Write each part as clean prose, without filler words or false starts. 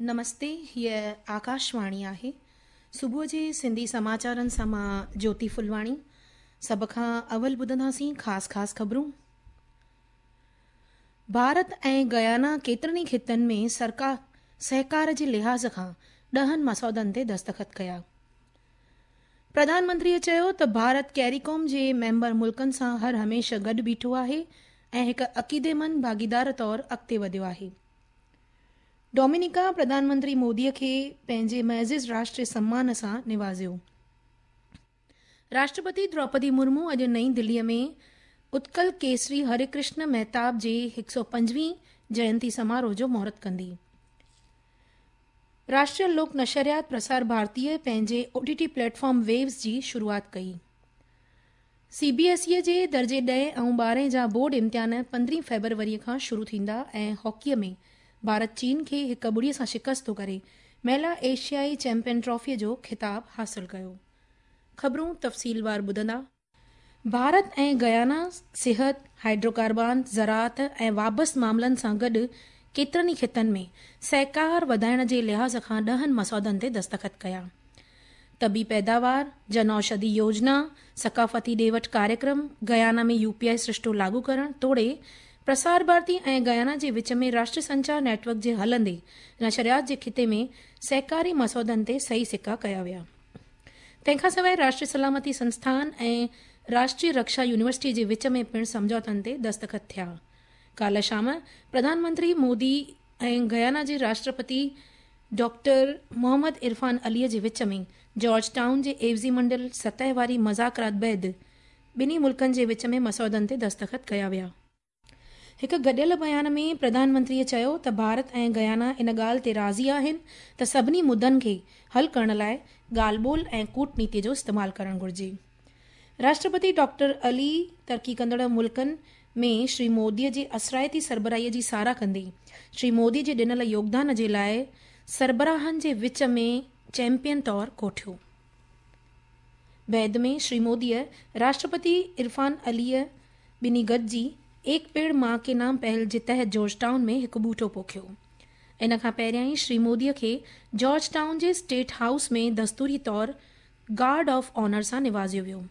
نمستي هيء آڪاشواڻي آهي صبح جي سنڌي سماچارن سان مان جوتي ڦلواڻي سڀ کان اول ٻڌنداسين خاص خاص خبرون ڀارت ۽ گيانا ڪيترن ئي خطن ۾ سرڪار سهڪار جي لحاظ کان ڏهن مسودن تي دستخط ڪيا پرڌان منتريء چيو ته ڀارت ڪيريڪوم جي ميمبر ملڪن سان هر هميشه گڏ بيٺو آهي ۽ هڪ عقيديمند ڀاڳيدار طور اڳتي وڌيو آهي. ڊومينيڪا پرڌان منتري مودي کي پنهنجي معزز راشٽري سمان سان نوازيو. راشٽرپتي دروپدي مرمو اڄ نئين دلي ۾ اتڪل ڪيسري هري ڪرشن مهتاب جي 125 جينتي سماروهه جو مهورت ڪندي. راشٽريه لوڪ نشريات پرسار ڀارتيء پنهنجي O T T platform Waves جي شروعات ڪئي. سي بي ايس اي جي درجي ڏهين ۽ ٻارهين جا بورڊ امتحان پندرهين فيبروريء کان شروع ٿيندا ۽ هاڪيء ۾ ڀارت چين کي هڪ ٻڙي سان شڪست ڪري مهلا ايشيائي چيمپيئن ٽرافيء جو خطاب حاصل ڪيو. خبرون تفصيلوار ٻڌندا. ڀارت ۽ گيانا صحت، هائيڊرو ڪاربان، زراعت ۽ وابسته معاملن سان گڏ ڪيترن ئي خطن ۾ سهڪار وڌائڻ جي لحاظ کان ڏهن مسودن تي دستخط ڪيا. طبي پيداوار، جن اوشڌي يوجنا، ثقافتي ڏي وٺ ڪاريڪرم، گيانا ۾ يو پي آء سرشتو لاڳو ڪرڻ توڙي پرسار ڀارتي ۽ گيانا جي وچ ۾ راشٽري سنچار نيٽ ورڪ جي هلندي نشريات جي خطي ۾ سهڪاري مسودن تي صحيح سڪا ڪيا ويا. تنهن کان سواء راشٽري سلامتي سنسٿان ۽ راشٽري رڪشا يونيورسٽي جي وچ ۾ پڻ سمجهوتن تي دستخط ٿيا. ڪالهه شام پرڌان منتري مودي ۽ گيانا جي راشٽرپتي ڊاڪٽر محمد عرفان علي جي وچ ۾ جارج ٽائون جي عيوضي منڊل سطح واري مذاڪرات بعد ٻنهي ملڪن جي وچ ۾ مسودن تي دستخط ڪيا ويا. هڪ گڏيل بيان ۾ پرڌان منتريء چيو ته ڀارت ۽ گيانا ان ڳالهه تي راضي آهن ته سڀني مدن کي حل ڪرڻ لاء ڳالهه ٻولهه ۽ ڪوٽنيتي جو استعمال ڪرڻ گهرجي. راشٽرپتي ڊاڪٽر علي ترقي ڪندڙ ملڪن ۾ شري مودي جي اثرائتي سربراهي جي ساراهه ڪندي شري مودي جي ڏنل يوگدان جي لاء سربراهن جي وچ ۾ چيمپيئن طور ڪوٺيو. بعد ۾ شري موديء راشٽرپتي عرفان عليء ٻنهي گڏجي ايڪ پيڙ مان ڪي نام پهل جي تحت جارج ٽائون ۾ هڪ ٻوٽو پوکيو. ان کان پهريائين شري موديء کي جارج ٽائون جي اسٽيٽ هائوس ۾ دستوري طور گارڊ آف آنر سان نوازيو ويو.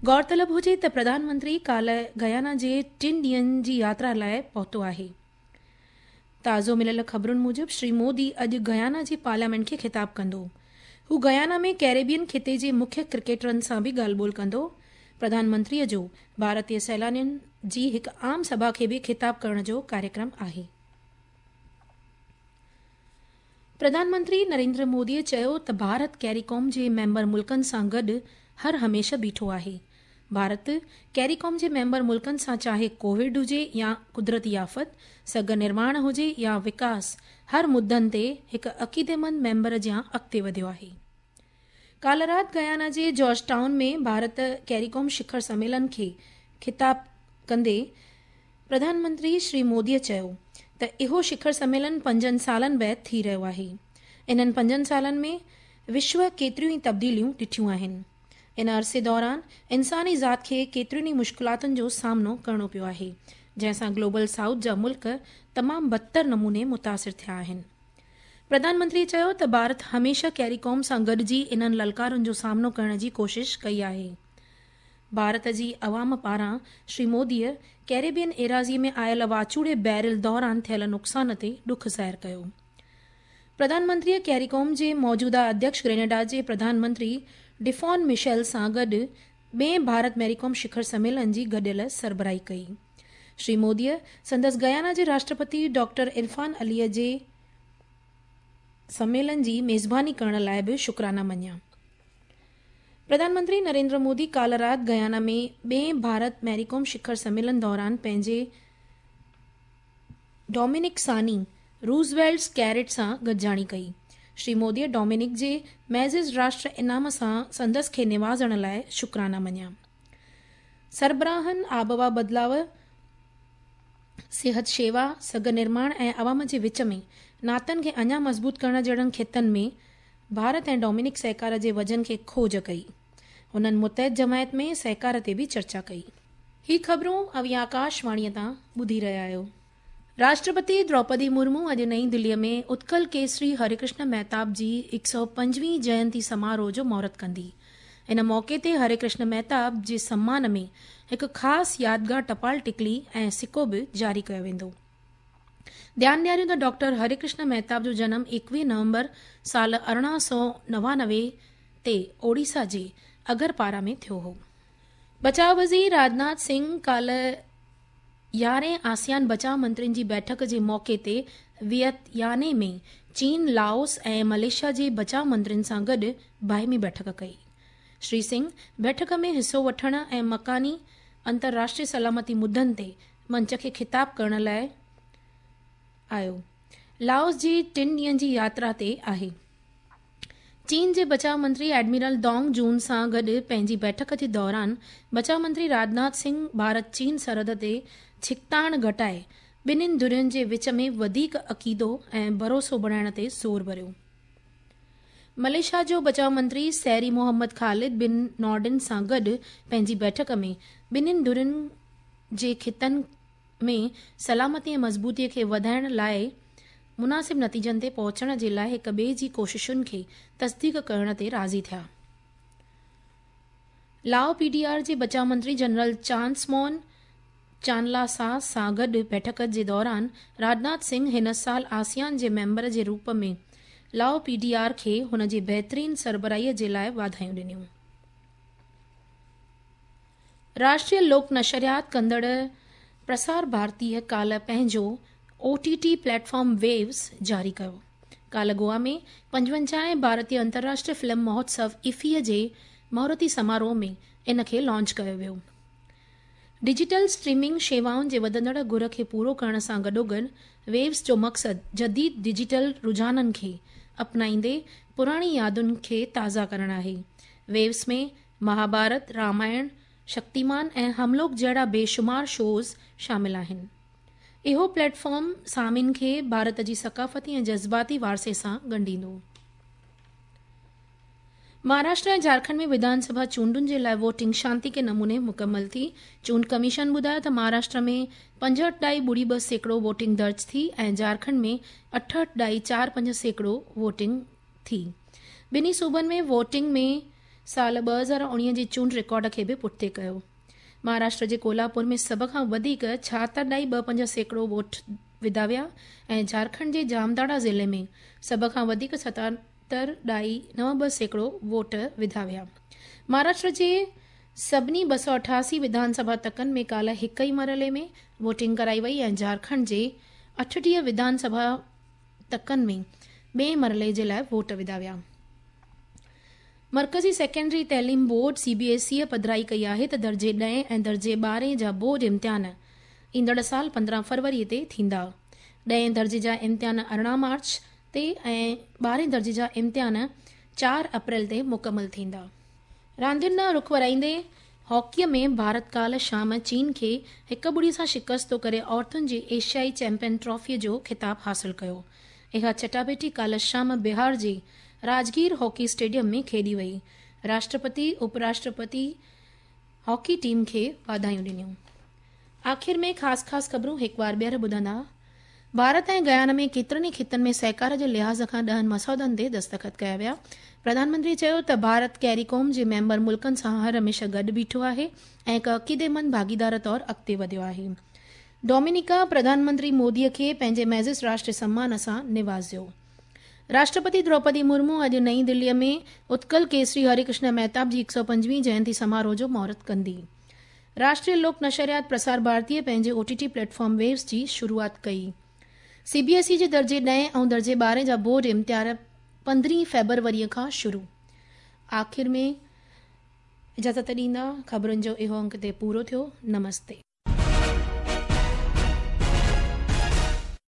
غور طلب هجي ته پرڌان منتري ڪالهه گيانا جي ٽن ڏينهن جي ياترا لاء پهتو آهي. تازو مليل خبرن موجب شري مودي اڄ گيانا جي پارليامينٽ کي خطاب ڪندو. هو گيانا ۾ ڪيريبين خطي جي مکيه ڪرڪيٽرن سان به ڳالهه ٻولهه ڪندو. پرڌان منتري جو ڀارتي سيلانين جي هڪ عام سڀا کي به خطاب ڪرڻ جو ڪاريڪرم آهي. پرڌان منتري نريندر مودي چيو ته ڀارت ڪيريڪوم جي ميمبر ملڪن سان گڏ هر هميشه بيٺو آهي. ڀارت ڪيريڪوم جي ميمبر ملڪن سان چاهي ڪووڊ هجي يا قدرتي آفت، سگهه نرماڻ هجي يا وڪاس هر مدن تي هڪ عقيديمند ميمبر جيان اڳتي وڌيو آهي. ڪالهه رات گيانا جي جارج ٽائون ۾ ڀارت ڪيريڪوم شکر سميلن کي خطاب ڪندي پرڌان منتري شري مودي چيو ته اهو شکر سميلن پنجن سالن بعد ٿي رهيو آهي. انهن پنجن سالن ۾ وشو ڪيتريون ئي تبديليون ڏٺيون آهن. ان عرصي دوران انساني ذات کي ڪيترين ئي مشڪلاتن جو سامنو ڪرڻو پيو آهي، جنهن سان گلوبل سائوٿ جا ملڪ تمام بدتر نموني متاثر ٿيا آهن. پرڌان منتري چيو ته ڀارت هميشه ڪيريڪوم سان گڏجي انهن للڪارن جو سامنو ڪرڻ جي ڪوشش ڪئي آهي. ڀارت جي عوام پاران شري موديء ڪيريبين ايراضي ۾ آيل واچوڙي بيرل دوران ٿيل نقصان تي ڏک ظاهر ڪيو. پرڌان منتريء ڪيريڪوم جي موجوده اڌيڪش گرينيڊا جي پرڌان منتري ڊفون مشيل سان گڏ ٻئين ڀارت ميريڪوم شکر سميلن جي گڏيل سربراهي ڪئي. شري موديء سندس گيانا جي راشٽرپتي ڊاڪٽر عرفان عليء جي سميلن جي ميزباني ڪرڻ لاء به شڪرانا مڃيا. پرڌان منتري نريندر مودي ڪالهه رات گيانا ۾ ٻئين ڀارت ميريڪوم شکر سميلن دوران پنهنجي ڊومينڪ ثاني روزويلٽ ڪيرٽ سان گڏجاڻي ڪئي. شري موديء ڊومينڪ جي معزز راشٽر انعام سان سندس کي نوازڻ لاء شڪرانا مڃيا. سربراهن آبهوا بدلاء، صحت شيوا، سگهه نرماڻ ۽ عوام جي وچ ۾ ناتن کي اڃا مضبوط ڪرڻ جهڙن خطن ۾ ڀارت ۽ ڊومينڪ سهڪار جي وزن کي کوج ڪئي. هنن متحد جماعت ۾ سهڪار تي به چرچا ڪئي. هي خبرون اوهين آڪاش واڻيء تان ٻڌي رهيا آهيو. راشٽرپتي دروپدي مرمو اڄ نئين دليء ۾ اتڪل ڪيسري هري ڪرشن مهتاب جي 125هين جينتي سماروهه جو مهورت ڪندي. ان موقعي تي هري ڪرشن مهتاب جي سمان ۾ هڪ خاص يادگار ٽپال ٽڪلي ۽ سڪو به جاري ڪيو ويندو. ڌيان ڏياريون ته ڊاڪٽر هري ڪرشن مهتاب جو جنم 21 نومبر سال 1899 تي اوڙيسا جي اگرپارا ۾ ٿيو هو. بچاء وزير راجناٿ سنگهه ڪالهه 11هين آسيان بچاء منترين جي بيٺڪ جي موقعي تي وينتياني ۾ چين، لاوس ۽ ملائيشيا جي بچاء منترين سان گڏ باهمي بيٺڪ ڪئي. شري سنگهه بيٺڪ ۾ حصو وٺڻ ۽ مڪاني انترراشٽريه سلامتي مدن تي منچ کي خطاب ڪرڻ لاء آيو. لاوس جي ٽن ڏينهن جي ياترا تي آهي. چين جي بچاء منتري ايڊمرل دونگ جون سان گڏ پنهنجي بيٺڪ جي دوران بچاء منتري راجناٿ سنگهه ڀارت چين سرحد تي ڇڪتاڻ گهٽائي ٻنهين ڌرين جي وچ ۾ وڌيڪ عقيدو ۽ ڀروسو بڻائڻ تي زور ڀريو. ملائيشيا جو بچاء منتري سيري محمد خالد بن نورڊن سان گڏ پنهنجي بيٺڪ ۾ ٻنهين ڌرين جي خطن ۾ سلامتي ۽ مضبوطي کي وڌائڻ لاء مناسب نتيجن تي پهچڻ جي لاء هڪ ٻئي جي ڪوششن کي تصديق ڪرڻ تي راضي ٿيا. لائو پي ڊي آر جي بچاء منتري جنرل چانسمون چانلاسا سان گڏ بيٺڪ جي دوران راجناٿ سنگهه هن سال آسيان جي ميمبر جي روپ ۾ لائو پي ڊي آر کي هن جي بهترين سربراهي جي لاء واڌايون ڏنيون. راشٽريه لوڪ نشريات ڪندڙ پرسار ڀارتيء ڪالهه پنهنجو O T T platform Waves جاري ڪيو. ڪالهه گوا ۾ 55هين ڀارتيه انترراشٽريه فلم مهوتسو افيء جي مهورتي سماروهه ۾ ان کي لانچ ڪيو ويو. ڊجيٽل اسٽريمنگ شيوائن جي وڌندڙ گهر کي پورو ڪرڻ سان گڏوگڏ ويوز جو مقصد جديد ڊجيٽل رجحانن کي اپنائيندي پراڻي يادن کي تازا ڪرڻ آهي. ويوز ۾ مهاڀارت، رامائڻ، شڪتيمان ۽ هملوڪ جهڙا بيشمار شوز شامل آهن. اهو پليٽ فارم سامعين کي ڀارت جي ثقافتي ۽ جذباتي وارثي سان ڳنڍيندو. مهاراشٽر ۽ جهارکنڊ ۾ وڌان سڀا چونڊن جي لاء ووٽنگ شانتيڪي نموني مڪمل ٿي. چونڊ ڪميشن ٻڌايو ته مهاراشٽر ۾ پنجهٺ ڏائي ٻڙي ٻه سيڪڙو ووٽنگ درج ٿي ۽ جهارکنڊ ۾ اٺهٺ ڏائي چار پنج سيڪڙو ووٽنگ ٿي. ٻنهي صوبن ۾ ووٽنگ ۾ سال 2019 جي چونڊ رڪارڊ کي به پٺتي ڪيو. مهاراشٽر جي ڪولهاپور ۾ سڀ کان وڌيڪ ڇاهتر ڏائي ٻه پنج سيڪڙو ووٽ وڌا ويا ۽ جهارکنڊ جي جامداڙا ضلعي ۾ سڀ کان وڌيڪ ستهتر ڏائي نو ٻه سيڪڙو ووٽ وڌا ويا. مهاراشٽر جي سڀني 288 وڌان سڀا تڪن ۾ ڪالهه هڪ ئي مرحلي ۾ ووٽنگ ڪرائي وئي ۽ جهارکنڊ جي 38 وڌان سڀا تڪن ۾ ٻئي مرحلي جي لاء ووٽ وڌا ويا. مرڪزي سيڪنڊري تعليم بورڊ، سي بي ايس اي، پڌرائي ڪئي آهي ته درجي ڏهين ۽ درجي ٻارهين جا بورڊ امتحان ايندڙ سال 15 فروري تي ٿيندا. ڏهين درجي جا امتحان 18 مارچ تي ۽ ٻارهين درجي جا امتحان 4 اپريل تي مڪمل ٿيندا. راندين ڏانهن رخ ورائيندي هاڪيء ۾ ڀارت ڪالهه شام چين کي هڪ ٻڙي سان شڪست ڪري عورتن جي ايشيائي چيمپيئن ٽرافيء جو خطاب حاصل ڪيو. اها چٽاڀيٽي ڪالهه شام بهار جي راجگير هاڪي اسٽيڊيم ۾ کيڏي وئي. Rashtrapati, up Rashtrapati hockey team کي واڌايون ڏنيون. آخر ۾ خاص خاص خبرون هڪ وار ٻيهر ٻڌندا. ڀارت ۽ گيانا ۾ ڪيترن ئي خطن ۾ سهڪار جي لحاظ کان 10 مسودن تي دستخط ڪيا ويا. پرڌان منتري چيو ته ڀارت ڪيريڪوم جي ميمبر ملڪن سان هر هميشه گڏ بيٺو آهي ۽ هڪ عقيديمند ڀاڳيدار طور اڳتي وڌيو آهي. ڊومينيڪا پرڌان منتري مودي کي پنهنجي معزز راشٽري سمان سان نوازيو. راشٽرپتي دروپدي مرمو اڄ نئين دليء ۾ اتڪل ڪيسري هري ڪرشن مهتاب جي 125هين جينتي سماروهه جو مهورت ڪندي. راشٽريه لوڪ نشريات پرسار ڀارتيء پنهنجي O T T platform Waves جي شروعات ڪئي. سي بي ايس اي جي درجي ڏهين ۽ درجي ٻارهين جا بورڊ امتحان 15 فيبروريء کان شروع. آخر ۾ اجازت ڏيندا، خبرن جو اهو انڪ هتي پورو ٿيو. نمستي.